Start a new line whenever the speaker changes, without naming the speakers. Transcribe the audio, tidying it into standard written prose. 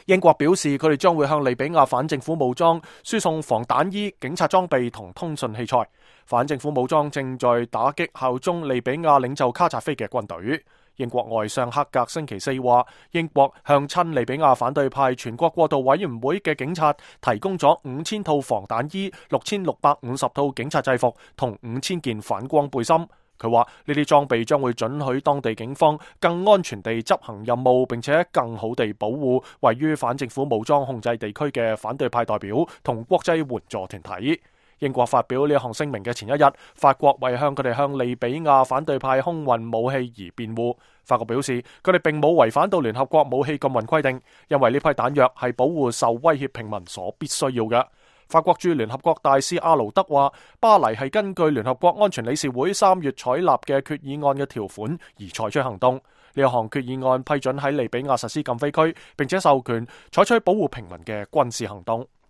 英國表示，佢哋將會向利比亞反政府武裝輸送防彈衣、警察裝備同通訊器材。反政府武裝正在打擊效忠利比亞領袖卡扎菲嘅軍隊。英國外相克格星期四話，英國向親利比亞反對派全國過渡委員會嘅警察提供咗5000套防彈衣、6650套警察制服同5000件反光背心。佢話呢啲裝備將會准許當地警方更安全地執行任務，並且更好地保護位於反政府武裝控制地區嘅反對派代表同國際援助團體。英國發表呢項聲明嘅前一日，法國為向佢哋向利比亞反對派空運武器而辯護。法國表示，佢哋並冇違反到聯合國武器禁運規定，因為呢批彈藥係保護受威脅平民所必須要嘅。法國駐聯合國大使阿勞德話，巴黎係根據聯合國安全理事會3月採納嘅決議案嘅條款而採取行動。呢一項決議案批准喺利比亞實施禁飛區，並且授權採取保護平民嘅軍事行動。